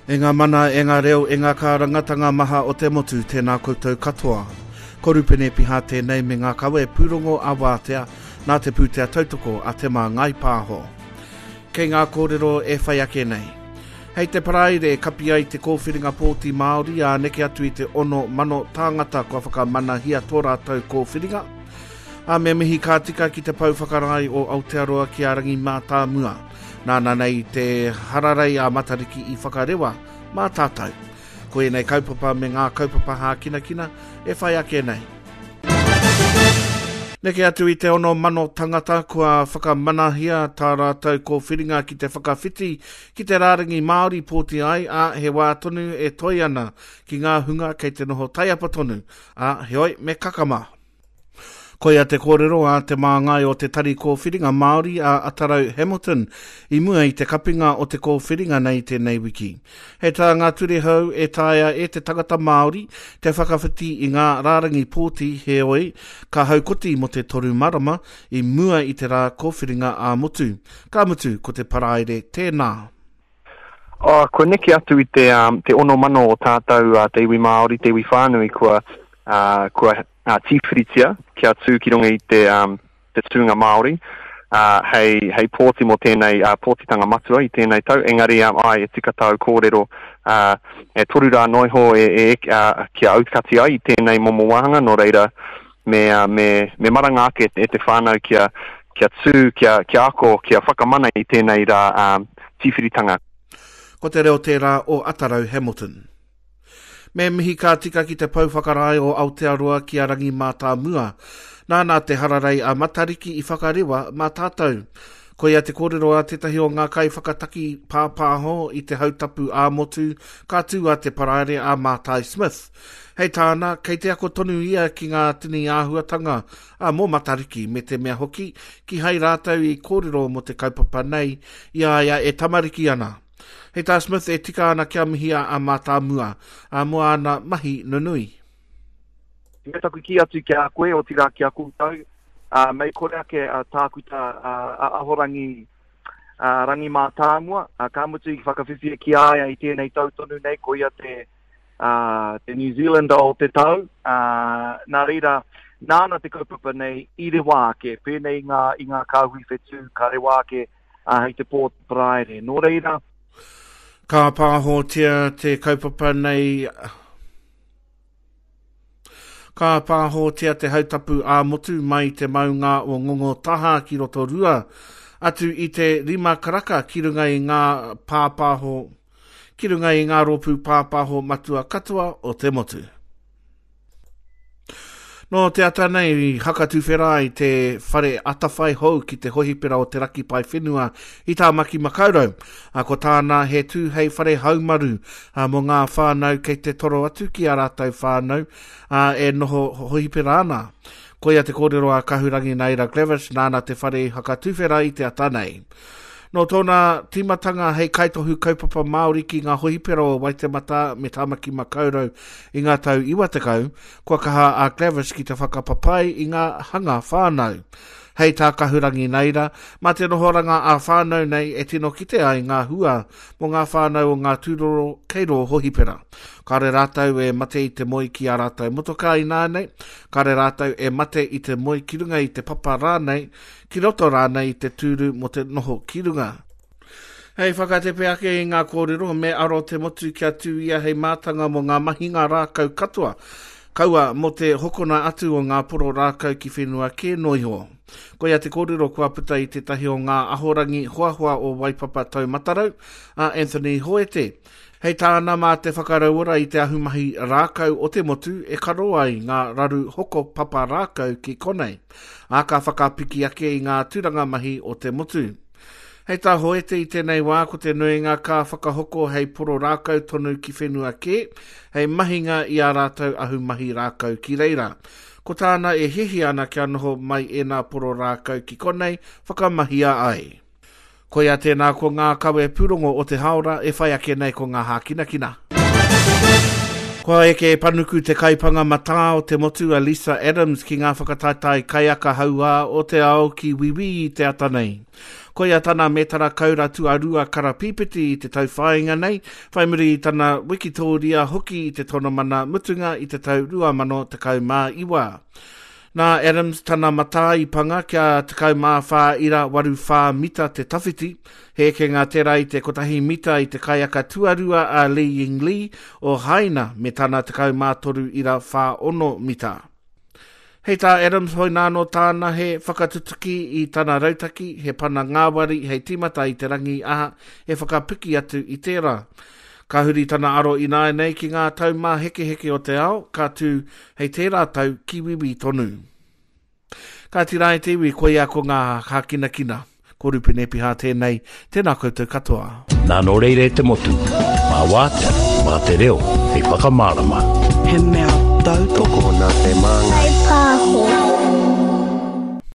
E ngā mana, e ngā reo, e ngā kārangatanga maha o te motu, tēnā koutou katoa. Ko Rupene Piha tēnei me ngā kawe pūrongo a Wātea nā te pūtea tautoko a Te Māngai Pāho. Kei ngā kōrero e whai ake nei. Hei te Paraire kapi ai te kōwhiringa pōti Māori ā neke atu i te 6,000 tāngata kua whakamanahia tō rātou kōwhiringa. Ā, me mihi ka tika ki te pou whakarae o Aotearoa ki a Rangi Mātāmua. Nāna nei te hararei a Matariki i whakarewa mā tātou. Ko ēnei kaupapa me ngā kaupapa hākinakina e whai ake nei. Neke atu i te 6,000 tangata kua whakamanahia tā rātou kōwhiringa ki te whakawhiti ki te rārangi Māori pōti ai, ā, he wā tonu e toe ana ki ngā hunga kei te noho taiapa tonu, ā, heoi me kakama. Koia te kōrero a te māngai o te Tari Kōwhiringa Māori a Atarau Hamilton i mua i te kapinga o te kōwhiringa nei tēnei wiki. Hei tā ngā ture hou e taea e te tangata Māori te whakawhiti i ngā rārangi pōti heoi ka haukoti mō te toru marama i mua i te rā kōwhiringa ā-motu. Ka mutu ko te Paraire tēnā. Oh, kua neke atu i te, um, te 6,000 o tātou uh, te iwi Māori, te iwi whānui kua, uh, kua uh, tīwhiritia kia tū ki runga i te, um, te tūnga Māori uh, hei, hei pōti mō tēnei uh, pōtitanga matua i tēnei tau. Engari, um, ai, e tika tāu kōrero, uh, e toru rā noa iho e, e, uh, kia aukati ai i tēnei momo wāhanga, nō reira, me, uh, me, me maranga ake e te whānau kia, kia tū, kia, kia ako, kia whakamana i tēnei rā um, tīwhiritanga. Ko te reo tērā o Atarau Hamilton. Me mihi ka tika ki te pou whakarae o Aotearoa ki a Rangi Mātāmua. Nāna te hararei a Matariki i whakarewa mā tātou. Koia te kōrero a tētahi o ngā kaiwhakataki pāpāho i te hautapu ā-motu ka tū a Te Paraire a Mātai Smith. Hei tāna, kei te ako tonu ia ki ngā tini āhuatanga ā, mō Matariki, me te mea hoki, kīhai rātou i kōrero mō te kaupapa nei i a ia e tamariki ana. Hei tā Smith e tika ana kia mihia a Mātāmua, ā, mō āna mahi nunui. Me taku kī atu ki a koe, otirā ki a koutou, ā, mei kore ake a Tākuta a Ahorangi Rangi Mātāmua, ā, ka mutu i whakawhiwhia ki a ia i tēnei tau tonu nei, ko ia te, ā, te New Zealander o te tau, ā, nā reira, nāna te kaupapa nei i rewa ake, pēnei i ngā, i ngā kāhui whetū ka rewa ake ā, hei te pō te Paraire. Nō reira. Ka pāhotia te kaupapa nei Ka pāhotia te hautapu ā-motu mai te maunga o Ngongotahā ki Rotorua, atu i te rima karaka ki runga i ngā pāpāho ki runga i ngā rōpū pāpāho matua katoa o te motu. Nō te ata nei i hakatuwhera ai te whare atawhai hou ki te hohipera o Te Raki Paewhenua i Tāmaki Makaurau. A ko tāna he tū hei whare haumaru a, mō ngā whānau kei te toro atu ki ā rātou whānau a, e noho hohipera ana. Koia te kōrero a Kahurangi Naira Glavish nāna te whare i hakatuwhera i te ata nei. Nō tōna tīmatanga hei kaitohu kaupapa Māori ki ngā hohipera o Waitematā me Tāmaki Makaurau i ngā tau 90, kua kaha a Glavish ki te whakapapai i ngā hanga whānau. Hei tā Kahurangi Naira, mā te nohoranga ā-whānau nei e tino kite ai ngā hua mō ngā whānau o ngā tūroro kei rō hohipera. Kāore rātou e mate i te moe ki ā rātou motokā ināianei, kāore rātou e mate i te moe ki runga i te papa rānei, ki roto rānei i te tūru mō te noho ki runga. Hei whakatepe ake i ngā kōrero, me aro te motu kia tū ia hei mātanga mō ngā mahinga rākau katoa, kaua mō te hokona atu o ngā poro rākau ki whenua kē noa iho. Koia te kōrero kua puta i tētahi o ngā ahorangi hoahoa o Waipapa Taumatarau, a Anthony Hoete. Hei tāna mā te whakarauora i te ahumahi rākau o te motu e karo ai ngā raru hoko papa rākau ki konei, ā, ka whakapiki ake i ngā tūranga mahi o te motu. Hei tā Hoete i tēnei wā ko te nuinga ka whakahoko hei poro rākau tonu ki whenua kē, hei mahinga i ā rātou ahumahi rākau ki reira. Ko tāna e hiahia ana kia noho mai ēnā poro rākau ki konei whakamahia ai. Koia tēnā ko ngā kawe pūrongo o te haora e whai ake nei ko ngā hākinakina. Kua eke panuku te kaipanga matā o te motu a Lisa Adams ki ngā whakataetae kaiaka hauā o te ao ki Wīwī i te ata nei. Koia tana mētara kaura tuarua karapīpiti i te tauwhāinga nei, whai muri i tana wikitōria hoki i te tonomana mutunga i te tau 2019. Nā Adams tana matā i panga kia 14.84 mita te tawhiti, he ekenga tērā i te kotahi mita i te kaiaka tuarua a Li Yingli o Haina me tana 13.46 mita. Hei tā Adams hoinānō tāna he whakatutuki i tana rautaki, he pana ngāwari hei tīmata i te rangi aha e whakapiki atu i tērā. Ka huri tana aro ināianei ki ngā taumāhekeheke o te ao, ka tū hei tērā tau ki Wīwī tonu. Kāti rā e te iwi, koia ko ngā hākinakina. Ko Rupene Piha tēnei, tēnā koutou katoa. Nā nō reira e te motu, mā wātea, mā te reo, hei whakamārama. He mea tautoko. Tokona te māngai. Whai pāho.